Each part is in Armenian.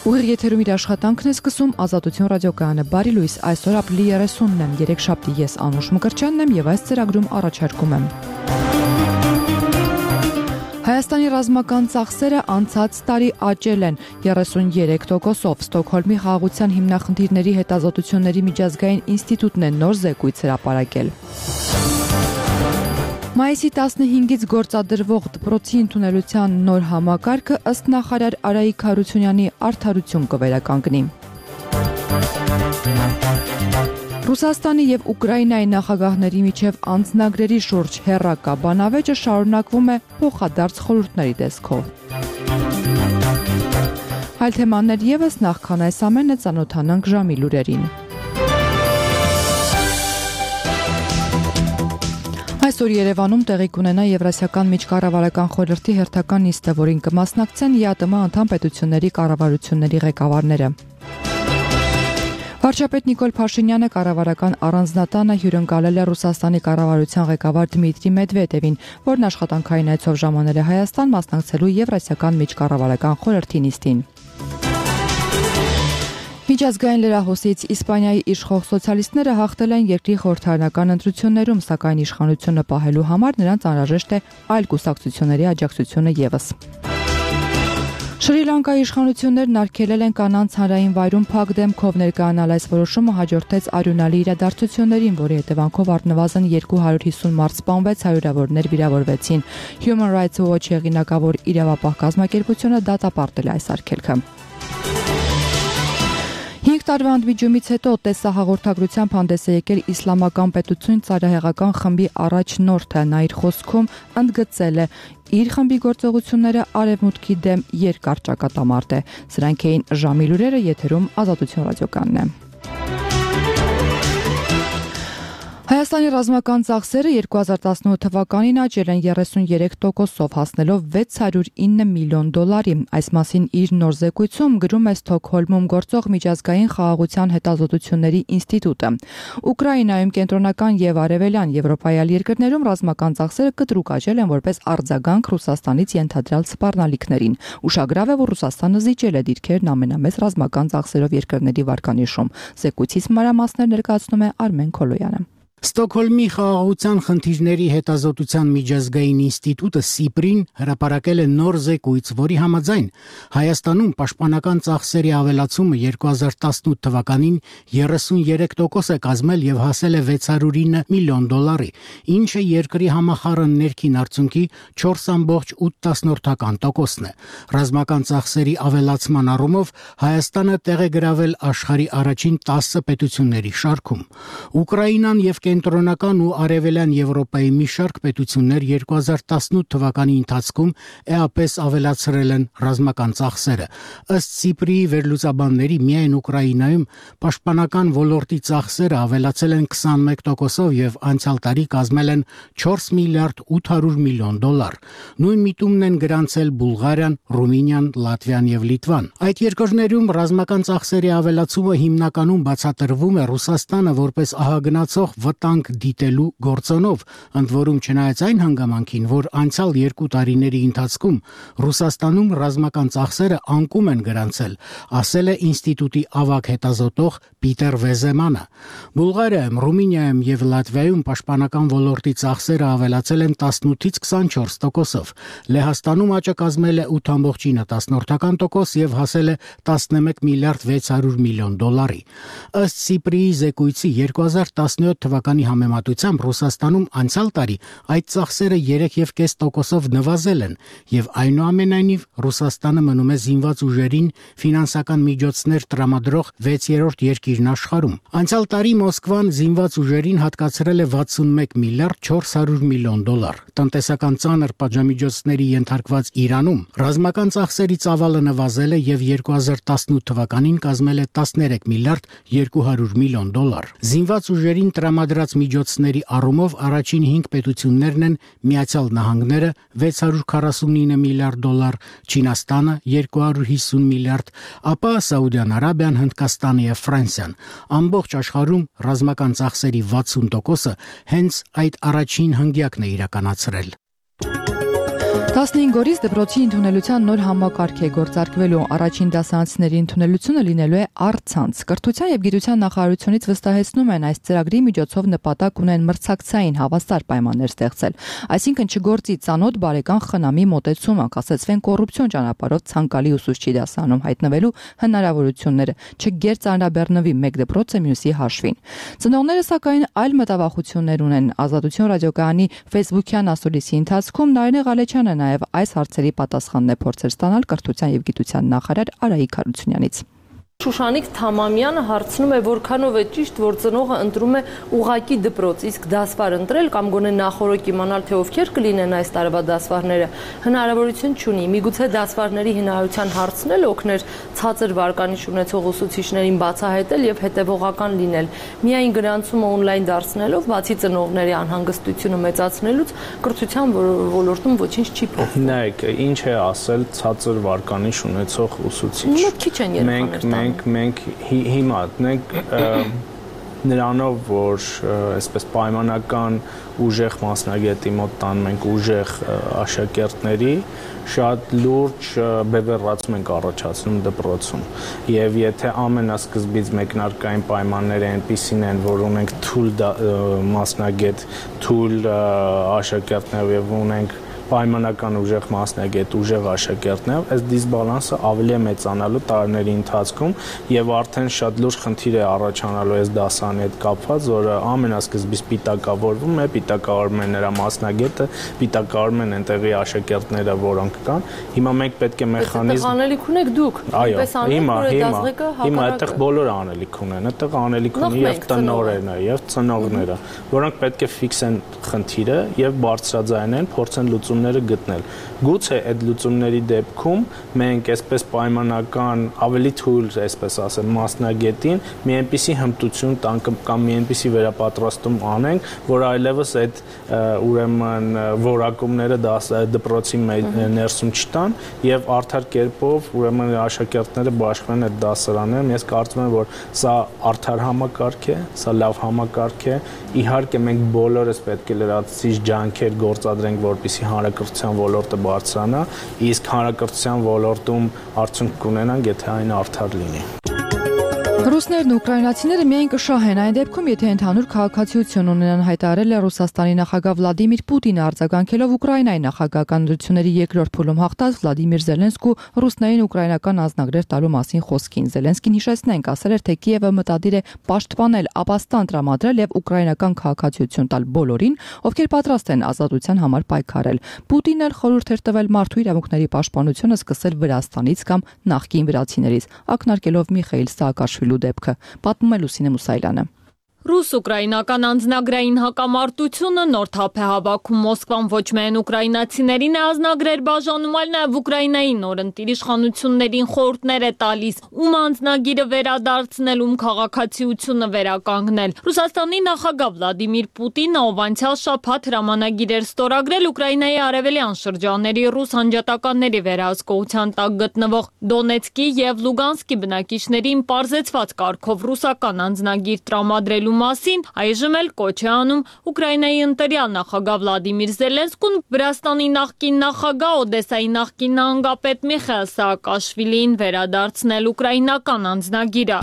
Ուղիղ եթերում իր աշխատանքն է սկսում Ազատություն ռադիոկայանը։ Բարի լույս, այսօր ապրիլի 30-ն եմ, երեքշաբթի ես Անուշ Մկրտչյանն եմ եւ այս ծրագրում առաջարկում եմ։ Հայաստանի ռազմական ծախսերը անցած տարի աճել են 33%-ով։ Ստոկհոլմի խաղաղության հիմնախնդիրների հետազոտությունների միջազգային ինստիտուտն է նոր զեկույց հրապարակել։ Մայիսի 15-ից գործադրվող դպրոցի ընդունելության նոր համակարգը ըստ նախարար Արայիկ Հարությունյանի արդարություն կվերականգնի։ Ռուսաստանի եւ Ուկրաինայի նախագահների միջև անձնագրերի շուրջ հեռակա բանավեճը շարունակվում է փոխադարձ խորհուրդների տեսքով։ Այլ թեմաներ եւս, նախքան այս ամենը ծանոթանանք ժամի լուրերին։ Այսօր Երևանում տեղի կունենա Եվրասիական միջկառավարական խորհրդի հերթական նիստը, որին կմասնակցեն ԵԱՏՄ անդամ պետությունների կառավարությունների ղեկավարները։ Վարչապետ Նիկոլ Փաշինյանը կառավարական առանձնատանը հյուրընկալել է Ռուսաստանի կառավարության ղեկավար Դմիտրի Մեդվեդևին, որն աշխատանքային այցով ժամանել է Հայաստան մասնակցելու Եվրասիական միջկառավարական խորհրդի նիստին։ Միջազգային լրահոսից Իսպանիայի իշխող սոցիալիստները հաղթել են երկրի խորհրդարանական ընտրություններում, սակայն իշխանությունը պահելու համար նրանց անհրաժեշտ է այլ կուսակցությունների աջակցությունը եւս։ Շրի Լանկայի իշխանություններն արգելել են կանանց հանրային վայրում փակ դեմքով ներկայանալ։ Այս որոշումը հաջորդեց արյունալի իրադարձություններին, որի հետևանքով առնվազն 250 մարդ սպանվեց, հարյուրավորներ վիրավորվեցին։ Human Rights Watch հեղինակավոր իրավապահ կազմակերպությունը դատապարտել է այս արգելքը։ 5 տարվա ընդմիջումից հետո տեսահաղորդագրությամբ հանդես է եկել Իսլամական պետություն ծայրահեղական խմբի առաջնորդը։ Նա իր խոսքում ընդգծել է իր խմբի գործողությունները արևմուտքի դեմ երկար ճակատամարտ է։ Սրանք էին ժամի լուրերը, եթերում Ազատություն ռադիոկայանն է։ Հայաստանի ռազմական ծախսերը 2018 թվականին աճել են 33%-ով, հասնելով 609 միլիոն դոլարի։ Այս մասին իր նոր զեկույցում գրում է Ստոկհոլմում գործող միջազգային խաղաղության հետազոտությունների ինստիտուտը։ Ուկրաինայում, կենտրոնական եւ արևելյան Եվրոպայի այլ երկրներում ռազմական ծախսերը կտրուկ աճել են որպես արձագանք Ռուսաստանից ենթադրյալ սպառնալիքներին։ Ուշագրավ է, որ Ռուսաստանը զիջել է դիրքերն ամենամեծ ռազմական ծախսերով երկրների վարկանիշում։ Զեկույցից մանրամասներ ներկայացնում է Արմեն Քոլոյանը։ Ստոկհոլմի խաղաղության խնդիրների հետազոտության միջազգային ինստիտուտը Սիպրին հրապարակել է նոր զեկույց, որի համաձայն Հայաստանում պաշտպանական ծախսերի ավելացումը 2018 թվականին 33% է կազմել եւ հասել է 609 միլիոն դոլարի, ինչը երկրի համախառն ներքին արդյունքի 4.8%-ն է։ Ռազմական ծախսերի ավելացման առումով Հայաստանը տեղ է գրավել աշխարհի առաջին 10 պետությունների շարքում։ Ուկրաինան եւ կենտրոնական ու արևելյան Եվրոպայի մի շարք պետություններ 2018 թվականի ընթացքում էապես ավելացրել են ռազմական ծախսերը։ Ըստ Սիպրիի վերլուծաբանների, միայն Ուկրաինայում պաշտպանական ոլորտի ծախսերը ավելացել են 21%-ով եւ անցյալ տարի կազմել են 4 միլիարդ 800 միլիոն դոլար։ Նույն միտումն են գրանցել Բուլղարիան, Ռումինիան, Լատվիան եւ Լիտվան։ Այդ երկրներում ռազմական ծախսերի ավելացումը հիմնականում բացատրվում է Ռուսաստանը որպես ահագնացող վտանգ դիտելու գործոնով, ընդ որում չնայած այն հանգամանքին, որ անցյալ 2 տարիների ընթացքում Ռուսաստանում ռազմական ծախսերը անկում են գրանցել, ասել է ինստիտուտի ավագ հետազոտող Պիտեր Վեզեմանը։ Բուլղարիայում, Ռումինիայում եւ Լատվիայում պաշտպանական ոլորտի ծախսերը ավելացել են 18-ից 24%-ով։ Լեհաստանում աճը կազմել է 8.9% եւ հասել է 11 միլիարդ 600 միլիոն դոլարի։ Ըստ Սիպրիի զեկույցի 2017 թվականի համեմատությամբ Ռուսաստանում անցյալ տարի այդ ծախսերը 3.5%-ով նվազել են եւ այնուամենայնիվ Ռուսաստանը մնում է զինված ուժերին ֆինանսական միջոցներ տրամադրող 6-րդ երկիրն աշխարհում։ Անցյալ տարի Մոսկվան զինված ուժերին հատկացրել է 61 միլիարդ 400 միլիոն դոլար։ Տնտեսական ծանր պատժամիջոցների ենթարկված Իրանում ռազմական ծախսերի ծավալը նվազել է եւ 2018 թվականին կազմել է 13 միլիարդ 200 միլիոն դոլար։ Զինված ուժերին տրամադրած միջոցների առումով առաջին 5 պետություններն են Միացյալ Նահանգները 649 միլիարդ դոլար, Չինաստանը 250 միլիարդ, ապա Սաուդյան Արաբիան, Հնդկաստանը եւ Ֆրանսիան։ Ամբողջ աշխարհում ռազմական ծախսերի 60%-ը հենց այդ առաջին հնգյակն է իրականացրել։ 15 օրից դպրոցի ընդունելության նոր համակարգ է գործարկվելու։ Առաջին դասարանցիների ընդունելությունը լինելու է առցանց։ Կրթության եւ գիտության նախարարությունից վստահեցնում են, այս ծրագրի միջոցով նպատակ ունեն մրցակցային հավասար պայմաններ ստեղծել, այսինքն չգործի ծանոթ բարեկան խնամի մոտեցումը, կասեցվեն կոռուպցիոն ճանապարհով ցանկալի ուսուցչի դասարանում հայտնվելու հնարավորությունները, չգերծանրաբեռնվի մեկ դպրոցը մյուսի հաշվին։ Ծնողները սակայն այլ մտավախություններ ունեն։ Ազատություն ռադիոկայանի Facebook-յան ասուլիսի ընթացքում Նարինե Ղալեչյանը նաև այս հարցերի պատասխանն է փորձել ստանալ կրթության եւ գիտության նախարար Արայիկ Հարությունյանից։ Շուշանիկ Թամամյանը հարցնում է, որքանով է ճիշտ, որ ծնողը ընտրում է ուղակի դպրոց, իսկ դասվար ընտրել կամ գոնե նախորոք իմանալ, թե ովքեր կլինեն այս տարվա դասվարները, հնարավորություն չունի։ Միգուցե դասվարների հնարավորության հարցն էլ օգներ ցածր վարկանիշ ունեցող ուսուցիչներին բացահայտել եւ հետեւողական լինել։ Միայն գրանցումը օնլայն դարձնելով, բացի ծնողների անհանգստությունը մեծացնելուց, կրթության ոլորտում ոչինչ չի փոխվում։ Նայեք, ինչ է ասել ցածր վարկանիշ ունեցող ուսուցիչ։ Քիչ են երեխաներ։ Մենք հիմա նրանով, որ այսպես պայմանական ուժեղ մասնագետի մոտ տանում ենք ուժեղ աշակերտների, շատ լուրջ բևեռացում ենք առաջացնում դպրոցում։ Եվ եթե ամենասկզբից մեկնարկային պայմանները այնպիսին են, որ ունենք թույլ մասնագետ, թույլ աշակերտներ եւ ունենք պայմանական ուժեղ մասնագետ, ուժեղ աշակերտներ, այս դիսբալանսը ավելի է մեծանալու տարիների ընթացքում եւ արդեն շատ լուրջ խնդիր է առաջանալու այս դասարանի հետ կապված, որը ամենասկզբից պիտակավորվում է, պիտակավորում է նրա մասնագետը, պիտակավորում են այնտեղի աշակերտները, որոնք կան։ Հիմա մենք պետք է մեխանիզմ անելիք ունեք դուք։ Հիմա այդտեղ բոլորը անելիք ունեն, այդտեղ անելիք ունի եւ տնօրենը եւ ծնողները, որոնք պետք է ֆիքսեն խնդիրը եւ բարձրաձայնեն, փորձեն լուծումները գտնել։ Գուցե այդ լուծումների դեպքում մենք այսպես պայմանական ավելի թույլ, այսպես ասեմ, մասնագետին մի այնպիսի հմտություն տանք կամ մի այնպիսի վերապատրաստում անենք, որ այլևս այդ ուրեմն որակումները դպրոցի ներսում չտան եւ արդար կերպով ուրեմն աշակերտները բաշխվեն այդ դասարաններում։ Ես կարծում եմ, որ սա արդար համակարգ է, սա լավ համակարգ է։ Իհարկե մենք բոլորս պետք է լրացուցիչ ջանքեր գործադրենք, որպեսզի հանրակրթության ոլորտը բարձրանա, իսկ հանրակրթության ոլորտում արդյունք կունենանք, եթե այն արդար լինի։ Ռուսներն ու ուկրաինացիները միայն կշահեն այն դեպքում, եթե ընդհանուր քաղաքացիություն ունենան, հայտարարել է Ռուսաստանի նախագահ Վլադիմիր Պուտինը, արձագանքելով Ուկրաինայի նախագահական ընտրությունների երկրորդ փուլում հաղթած Վլադիմիր Զելենսկու ռուսներին ուկրաինական անձնագրեր տալու մասին խոսքին։ Զելենսկին հիշեցնենք, ասել էր, թե Կիևը մտադիր է պաշտպանել, ապաստան տրամադրել եւ ուկրաինական քաղաքացիություն տալ բոլորին, ովքեր պատրաստ են ազատության համար պայքարել։ Պուտինն էլ խորհուրդ էր տվել մարդու իրավունքների պաշտպանությունը սկսել Վրաստանից կամ նախկին վրացիներից, ակնարկելով Միխայիլ Սաակաշվիլու դեպքը, պատմում է Լուսինե Մուսայելյանը։ Ռուս-ուկրաինական անձնագրային հակամարտությունը նոր թափ է հավաքում Մոսկվան ոչ միայն ուկրաինացիներին է ազնագրեր բաժանում, այլ նաև Ուկրաինայի նորընտիր իշխանություններին խորհուրդներ է տալիս, ում անձնագիրը վերադարձնել, ում քաղաքացիությունը վերականգնել։ Ռուսաստանի նախագահ Վլադիմիր Պուտինը, ով անցյալ շաբաթ հրամանագիր էր ստորագրել Ուկրաինայի արևելյան շրջանների ռուս անջատականների վերահսկողության տակ գտնվող Դոնեցկի եւ Լուգանսկի բնակիչներին պարզեցված կարգով ռուսական անձնագիր տրամադրելու մասին, այժմ էլ կոչ է անում Ուկրաինայի ընտրյալ նախագահ Վլադիմիր Զելենսկուն Վրաստանի նախկին նախագահ, Օդեսայի նախկին նահանգապետ Միխայիլ Սաակաշվիլին վերադարձնել ուկրաինական անձնագիրը։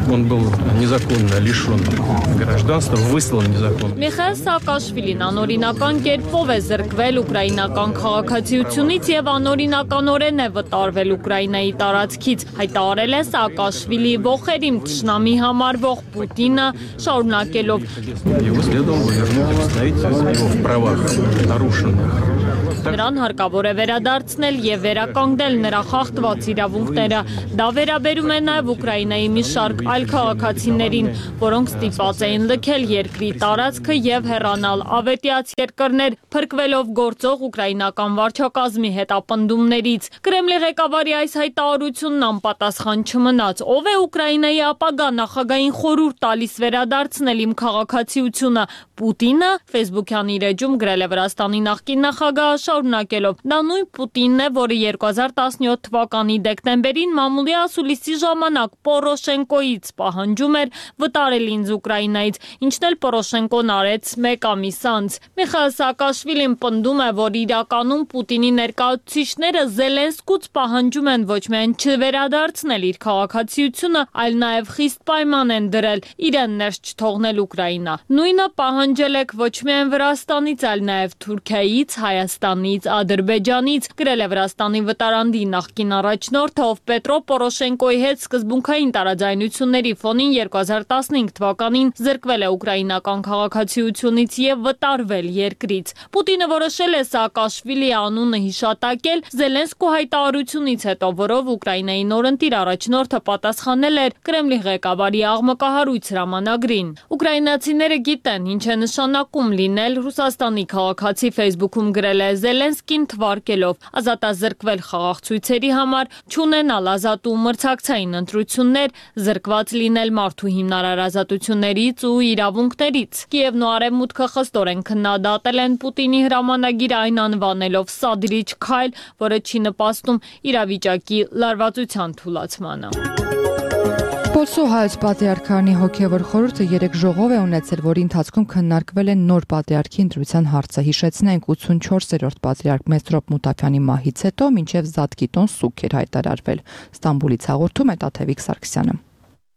Он был незаконно лишен гражданства, выслан незаконно. Միխայիլ Սաակաշվիլին անօրինական կերպով է զրկվել ուկրաինական քաղաքացիությունից եւ անօրինականորեն է վտարվել Ուկրաինայի տարածքից, հայտարարել է Սաակաշվիլի ողերիմ թշնամի համարվող Պուտինը, շարունակելով. Его следовало вернуть и вставить его в правах нарушенных. Նրան հարկավոր է վերադարձնել եւ վերականգնել նրա խախտված իրավունքները։ Դա վերաբերում է նաեւ Ուկրաինայի մի շարք այլ քաղաքացիներին, որոնք ստիպված էին լքել երկրի տարածքը եւ հեռանալ ավետյաց երկրներ, փրկվելով գործող ուկրաինական վարչակազմի հետապնդումներից։ Կրեմլի ղեկավարի այս հայտարարությունն անպատասխան չմնաց։ Ով է Ուկրաինայի ապագա նախագահային խորհուրդ տալիս վերադարձնել իմ քաղաքացիությունը։ Պուտինը Facebook-յան իր էջում գրել է Վրաստանի նախկին նախագահը, շարունակելով. Դա նույն Պուտինն է, որը 2017 թվականի դեկտեմբերին մամուլի ասուլիսի ժամանակ Պորոշենկոից պահանջում էր վտարել ինձ Ուկրաինայից, ինչն էլ Պորոշենկոն արեց 1 ամիս անց։ Միխայել Սաակաշվիլին պնդում է, որ իրականում Պուտինի ներկայացուցիչները Զելենսկուց պահանջում են ոչ միայն չվերադարձնել իր քաղաքացիությունը, այլ նաև խիստ պայման են դրել իրեն ներս չթողնել Ուկրաինա։ Նույնը պահանջել եք ոչ միայն Վրաստանից, այլ նաև Թուրքիայից, Հայաստանից, Ադրբեջանից, գրել է Վրաստանի վտարանդի նախկին առաջնորդը, ով Պետրո Պորոշենկոյի հետ սկզբունքային տարաձայնությունների ֆոնին 2015 թվականին զրկվել է ուկրաինական քաղաքացիությունից եւ վտարվել երկրից։ Պուտինը որոշել է Սաակաշվիլիի անունը հիշատակել Զելենսկու հայտարարությունից հետո, որով Ուկրաինայի նորընտիր առաջնորդը պատասխանել էր Կրեմլի ղեկավարի աղմկահարույց հրամանագրին։ Ուկրաինացիները գիտեն, ինչ է նշանակում լինել Ռուսաստանի քաղաքացի, Facebook-ում գրել է Զելենսկին թվարկելով ազատազրկվել խաղաղ ցույցերի համար, չունենալ ազատ ու մրցակցային ընտրություններ, զրկված լինել մարդու հիմնարար ազատություններից ու իրավունքներից։ Կիևն ու Արևմուտքը խստորեն քննադատել են Պուտինի հրամանագիրը, այն անվանելով սադրիչ քայլ, որը չի նպաստում իրավիճակի լարվածության թուլացմանը։ Պոլսո հայոց պատրիարքարանի հոգևոր խորհուրդը 3 ժողով է ունեցել, որի ընթացքում քննարկվել է նոր պատրիարքի ընտրության հարցը։ Հիշեցնենք, 84-րդ պատրիարք Մեսրոպ Մութաֆյանի մահից հետո մինչև Զատկիտոն սուք էր հայտարարվել։ Ստամբուլից հաղորդում է Տաթևիկ Սարգսյանը։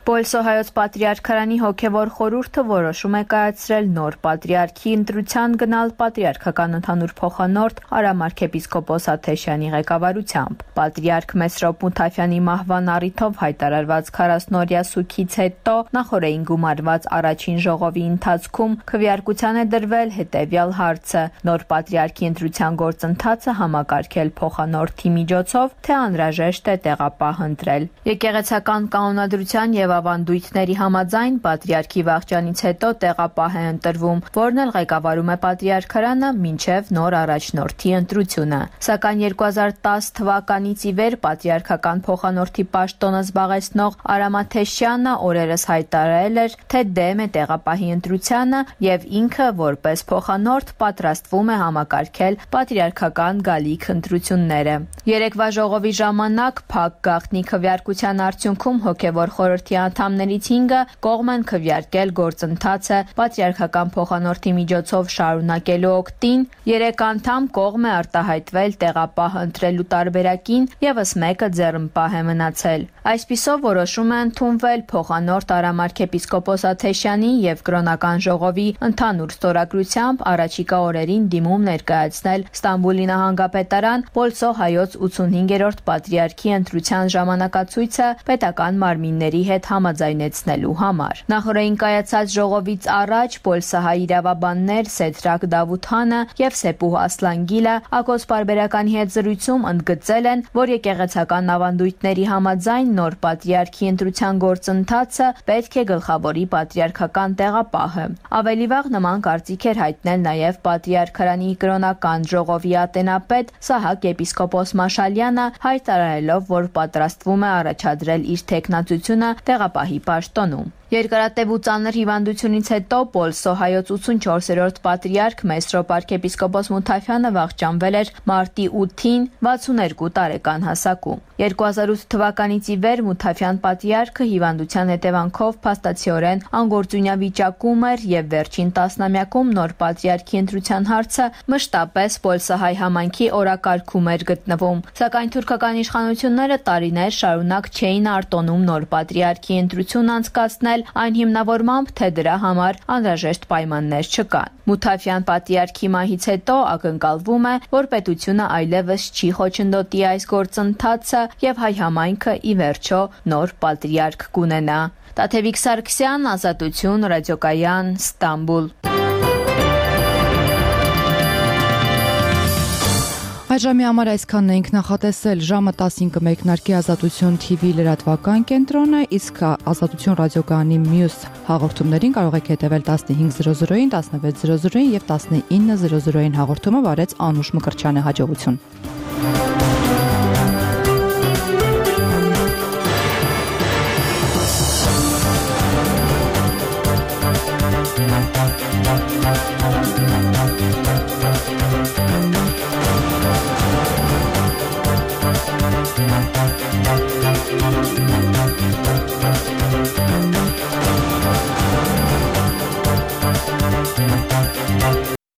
Պոլսո հայոց պատրիարքարանի հոգևոր խորհուրդը որոշում է կայացրել նոր պատրիարքի ընտրության գնալ պատրիարքական ընդհանուր փոխանորդ Արամ arczepiskopos Աթեշյանի ղեկավարությամբ։ Պատրիարք Մեսրոպ Մութաֆյանի մահվան առիթով հայտարարված 40-օրյա սուգից հետո նախօրեին գումարված առաջին ժողովի ընթացքում քվեարկության է դրվել հետևյալ հարցը. նոր պատրիարքի ընտրության գործընթացը համակարգել փոխանորդի միջոցով, թե անհրաժեշտ է տեղապահ ընտրել։ Եկեղեցական կանոնադրության եւ ավանդույթների համաձայն պատրիարքի վախճանից հետո տեղապահ է ընտրվում, որն էլ ղեկավարում է պատրիարքարանը մինչև նոր առաջնորդի ընտրությունը։ Սակայն 2010 թվականից ի վեր պատրիարքական փոխանորդի պաշտոնը զբաղեցնող Արամ Աթեշյանը օրերս հայտարարել էր, թե դեմ է տեղապահի ընտրությանը եւ ինքը որպես փոխանորդ պատրաստվում է համակարգել պատրիարքական գալիք ընտրությունները։ Երեկվա ժողովի ժամանակ փակ գաղտնի քվեարկության արդյունքում հոգևոր խորհրդի անդամներից 5-ը կողմ են քվեարկել գործընթացը պատրիարքական փոխանորդի միջոցով շարունակելու օգտին, 3 անդամ կողմ է արտահայտվել տեղապահ ընտրելու տարբերակին, եւս մեկը ձեռնպահ է մնացել։ Այսպիսով որոշում է ընդունվել փոխանորդ Արամ arczepiskopos Աթեշյանի եւ կրոնական ժողովի ընդհանուր ստորագրությամբ առաջիկա օրերին դիմում ներկայացնել Ստամբուլի նահանգապետարան Պոլսո հայոց 85-րդ պատրիարքի ընտրության ժամանակացույցը պետական մարմինների հետ համաձայնեցնելու համար։ Նախորդին կայացած ժողովից առաջ պոլսահայ իրավաբաններ Սեդրակ Դավությանը եւ Սեպուհ Ասլանգիլը Ակոս պարբերականի հետ զրույցում ընդգծել են, որ եկեղեցական ավանդույթների համաձայն նոր պատրիարքի ընտրության գործընթացը պետք է գլխավորի պատրիարքական տեղապահը։ Ավելի վաղ նման կարծիք էր հայտնել նաեւ պատրիարքարանի կրոնական ժողովի ատենապետ Սահակ եպիսկոպոս Մաշալյանը, հայտարարելով, որ պատրաստվում է առաջադրել իր տեխնացությունը տեղապահի պաշտոնում։ Երկարատև ու ծանր հիվանդությունից հետո Պոլսո հայոց 84-րդ պատրիարք Մեսրոպ arczepiskopos Մութաֆյանը վախճանվել էր մարտի 8-ին 62 տարեկան հասակում։ 2008 թվականից ի վեր Մութաֆյան պատրիարքը հիվանդության հետևանքով փաստացիորեն անգործունյա վիճակում էր եւ վերջին տասնամյակում նոր պատրիարքի ընտրության հարցը մշտապես պոլսահայ համայնքի օրակարգում էր գտնվում։ Սակայն թուրքական իշխանությունները տարիներ շարունակ չէին արտոնում նոր պատրիարքի ընտրություն անցկացնել այն հիմնավորմամբ, թե դրա համար անհրաժեշտ պայմաններ չկան։ Մութաֆյան պատրիարքի մահից հետո ակնկալվում է, որ պետությունը այլևս չի խոչընդոտի այս գործընթացը եւ հայ համայնքը ի վերջո նոր պատրիարք կունենա։ Տաթևիկ Սարգսյան, Ազատություն, Ռադիոկայան, Ստամբուլ։ Այժմի համար այսքանն էինք նախատեսել, ժամը 15-ը մեկնարկի Ազատություն TV լրատվական կենտրոնը, իսկ Ազատություն ռադիոկայանի մյուս հաղորդումներին կարող եք հետևել 15:00-ին, 16:00-ին եւ 19:00-ին հաղորդումը վարեց Անուշ Մկրտչյանը, հաջողություն։ Thank you.